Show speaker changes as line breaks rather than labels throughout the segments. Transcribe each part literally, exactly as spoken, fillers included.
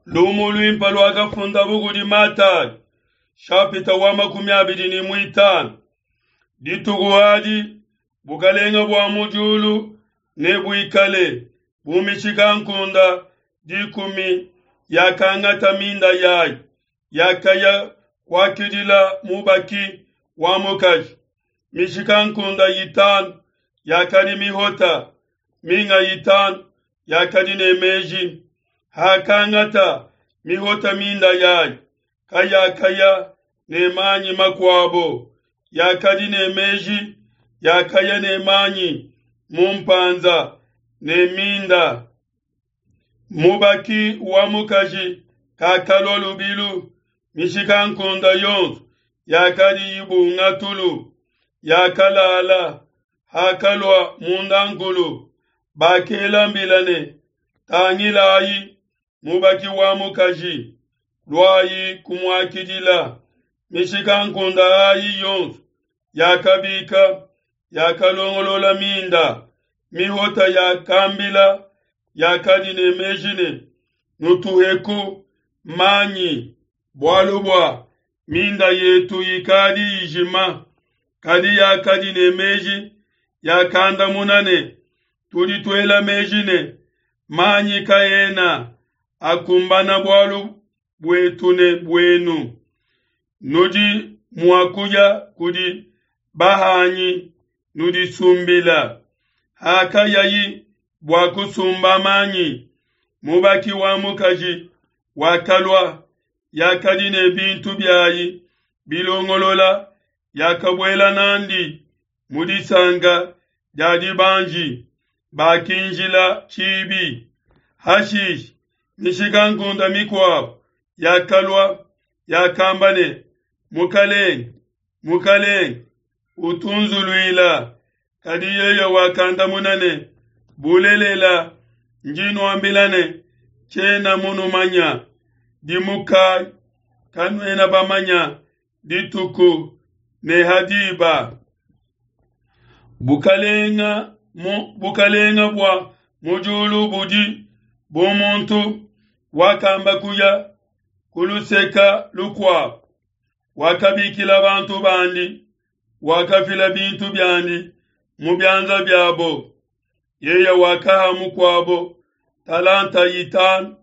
Lumu luimpe luakafundabu kudi Matayi, nshapita wa makumi abidi ne muitanu. Dituku adi bukalenge bua mu diulu nebuikale bu mishikankunde dikumi yakangata minda yayi, yakaya kuakidila mubaki wa mukaji. Mishikankunde itanu yakadi mihota, minga itanu yakadi ne meji. Hakangata mihota minda yayi, kayakaya ne manyi makuabo, yakadi ne meji yakaya ne manyi mu mpanza ne minda. Mubaki wa mukaji kakalua lubilu, mishikankunde yonso yakadi ibunga tulu, yakalala. Hakalua mundankulu, bakela mbila ne: Tangilayi, mubaki wa mukaji, luayi kumuakidila. Mishikankunde ayi yonso yakabika, yakalongolola minda. Mihota yakambila yakadi ne meji ne: Nutuheku manyi, bualu bua minda yetu ikadi ijima. Kadi yakadi ne meji yakandamuna ne: Tudi tuela meji ne, manyi kaena akumbana bualu buetu ne buenu. Nudi mua kuya kudi bahanyi nudisumbila. Hakayayi bua kusumba manyi, mubaki wa mukaji wakalua, yakadi ne bintu biayi bilongolola, yakabuela n'andi mu disanka dia dibanji, bakinjila tshibi. Hashishe mishikankunde mikuabo yakalua, yakamba ne: Mukalenge, Mukalenge, utunzuluila. Kadi yeye wakandamuna ne: Bulelela, ndi nuambila ne, tshiena munumanya. Dimukayi, kanuena bamanya dituku ne ha diba. Bukalenga mu bukalenga bua mu diulu budi bu muntu wakamba kuya ku luseka lukuabo, wakabikila bantu bandi, wakafila bintu biandi mu bianza biabo. Yeye wakaha mukuabo talanta itanu,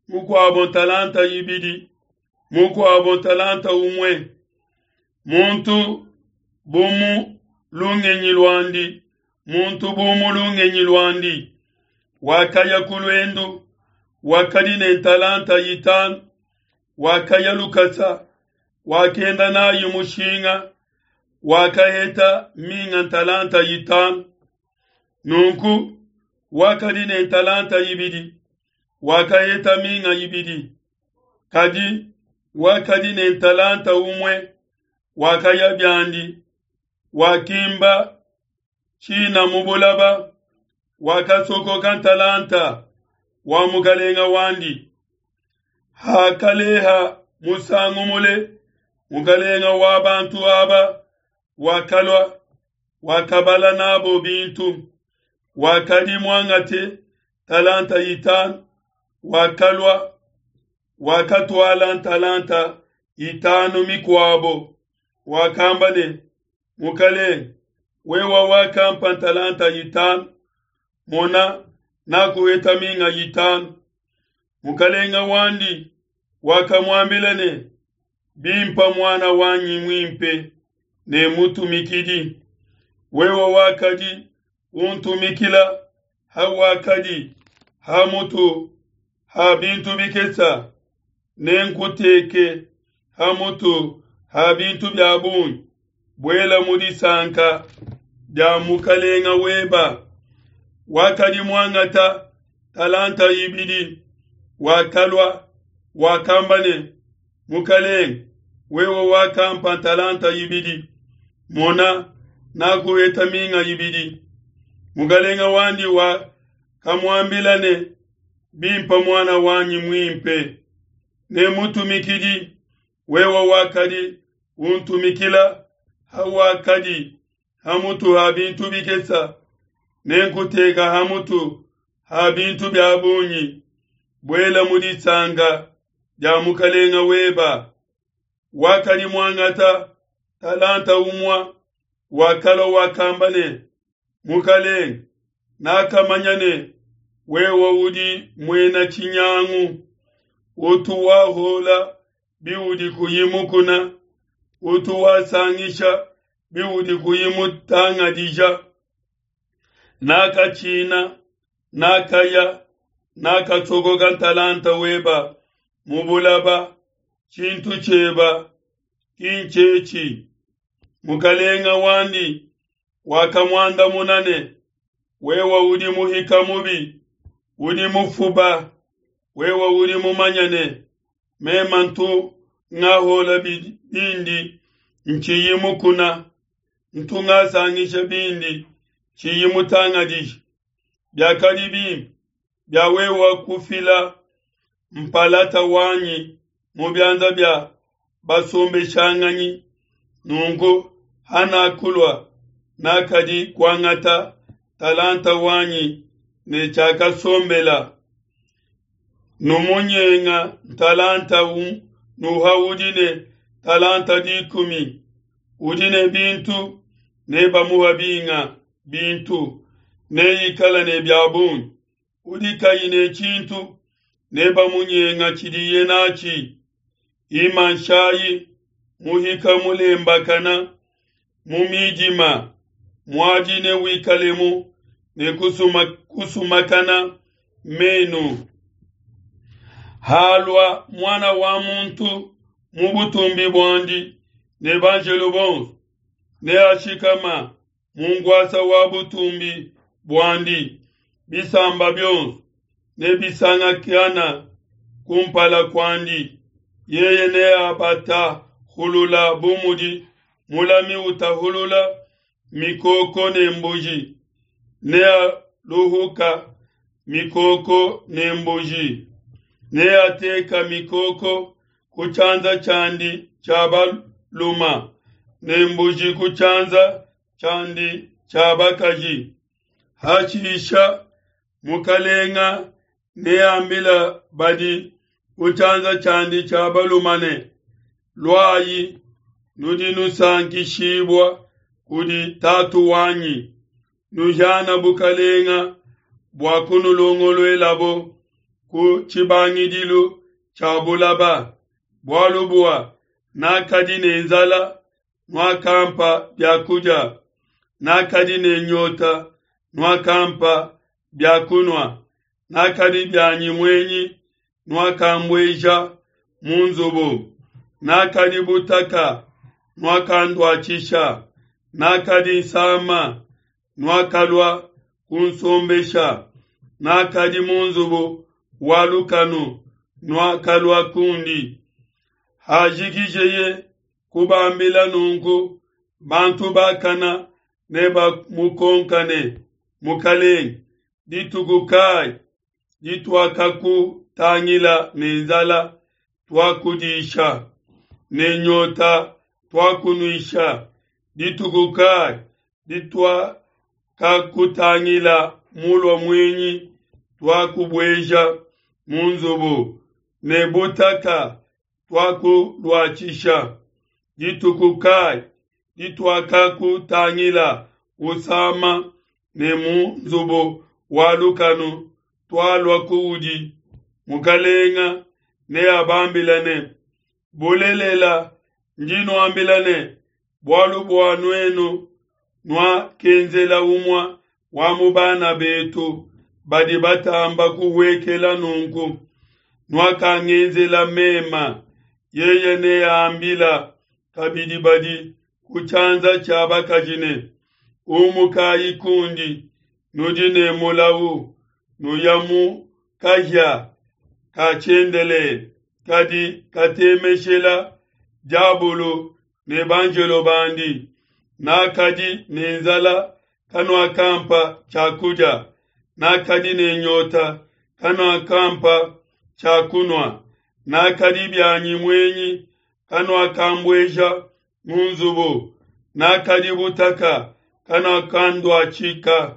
mukuabo talanta ibidi, mukuabo talanta umue. Muntu bu mu lungenyi luandi, muntu bu mu lungenyi luandi, wakaya ku luendu, wakadi ne talanta itanu, wakaya lukasa, wakenda nayi mushinga, wakaheta minga talanta itanu. Nunku wakadi ne talanta ibidi, wakaheta minga ibidi. Kadi wakadi ne talanta umue, wakaya biandi, wakimba tshina mu bulaba, wakasokoka talanta wa mukalenga wandi. Hakaleha musangu mule, mukalenga wa bantu aba wakalua, wakabala nabo bintu. Wakadi muangate talanta itanu, wakalua, wakatuala talanta itanu mikuabo. Wakamba ne: Mukalenge, wewe wakampa talanta itanu, mona nakuheta minga itanu. Mukalenga wandi wakamuambila ne: Bimpa mwana wanyi muimpe ne mutumikidi, wewe wakadi untumikila hawakadi ha mutu ha bintu bikesa, nenkuteke ha mutu ha bintu bia bungi. Buela mu disanka dia mukalenga weba. Wakadi muangata talanta ibidi, wakalua, wakamba ne: Mukalenge, wewe wakampa talanta ibidi, mona nakuheta minga ibidi. Mukalenga wandi wakamuambila ne: Bimpa mwana wanyi muimpe ne mutumikidi, wewe wakadi untumikila hawakadi ha mutu ha bintu bikesa, nenkuteka ha mutu ha bintu bia bungi. Buela mu disanka dia mukalenga weba. Wakadi muangata talanta umua wakalua wakamba ne, Mukalenga, nakamanya ne wewe udi muena tshinyangu, utu wahola biudi kuyi mukuna, utu wasangisha biudi kuyi mutangadija. Nakatshina, nakaya, nakasokoka ntalanta weba mu bulaba, tshintu tshieba ki ntshetshi. Mukalenga wandi wakamuandamuna ne, wewe udi muhika mubi, udi mufuba, wewe udi mumanya ne mema ntu ngahola bindi ntshiyi mukuna, ntu ngasangisha bindi tshiyi mutangadija. Biakadi bimpe bia wewe kufila mpalata wanyi mu bianza bia basombeshanganyi. Nunku hanakulua nakadi kuangata talanta wanyi ne tshiakasombela. Numunyenga talanta nuha udi ne talanta dikumi. Udi ne bintu ne bamuha binga bintu, neikala ne bia bungi. Udi kayi ne tshintu ne bamunyenga tshidiye natshi. Imanshayi muhika mulembakana mu midima, muadi ne wikalemu ne kusuma, kusumakana menu. Halua mwana wa muntu mu butumbi buandi ne banjelo bonso, ne ashikama mu ngwasa wa butumbi buandi. Bisamba bionso ne bisangakana kumpala kuandi. Yeye ne abatahulula bu mudi mulami utahulula mikoko ne mbuji, ne aluhuka mikoko ne mbuji, ne ateka mikoko ku tshianza tshiandi tshia baluma ne mbuji ku tshianza tshiandi tshia bakaji. Hashisha mukalenga neambila badi ku tshianza tshiandi tshia baluma ne, luayi, nudi nusankishibua kudi tatu wanyi, nuhiana bukalenga bua kunulongoluelabo ku tshibangidilu tshia bulaba. Bualu bua nakadi ne nzala, nuakampa biakudia, nakadi ne nyota, nuakampa biakunua, nakadi bianyi muenyi, nuakambueja mu nzubu, nakadi butaka, nuakanduatshisha, nakadi nsama, nuakalua kunsombesha, nakadi mu nzubu wa lukanu, nuakalua kundi. Hajikijeye kubambila nunku, bantu bakana ne bamukonkane, Mukalenge, dituku kayi dituakakutangila ne nzala tuakudisha, ne nyota tuakunuisha? Dituku kayi dituakakutangila mulua muenyi tuakubueja mu nzubu, ne butaka tuakuluatshisha? Dituku kayi dituakakutangila usama ne mu nzubu wa lukanu tualua kuudi? Mukalenga neabambila ne, bulelela ndi nuambila ne, bualu bua nuenu nuakenzela umue wa mu bana betu badi batamba kuhuekela nunku, nuakangenzela mema. Yeye neambila kabidi badi ku tshianza tshia bakaji ne, umukayi kundi, nudi ne mulau, nuya mu kahia ka tshiendelele, kadi katemeshela diabulu ne banjelo bandi. Nakadi ne nzala, kanuakampa tshiakudia, nakadi ne nyota, kanuakampa tshiakunua, nakadi bianyi muenyi, kanuakambueja mu nzubu, nakadi butaka, kanuakanduatshika,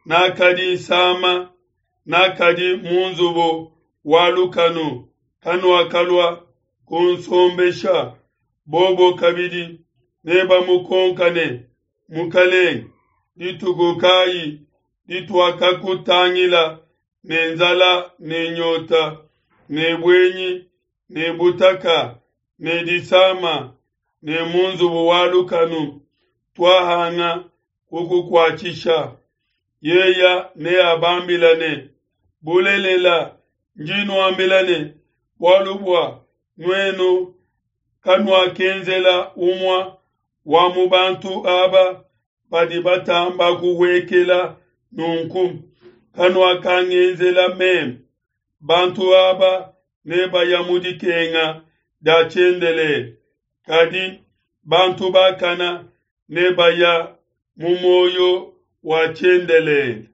nakadi nsama, nakadi mu nzubu wa lukanu, kanuakalua kunsombesha. Bobo kabidi nebamukonka ne, Mukelenge, dituku kayi dituakakutangila ne nzala ne nyota, ne buenyi ne butaka ne disama ne mu nzubu wa lukanu, tuahanga kukukuatshisha? Yeya neabambila ne, Bulelela, ndi nuambila ne, bualu bua nuenu kanuakenzela umue wa mu bantu aba badi batamba kuhuekela nunku, kanuakangenzela meme. Bantu aba nebaya mu dikenga dia tshiendelele, kadi bantu bakana nebaya mu muoyo wa tshiendelele.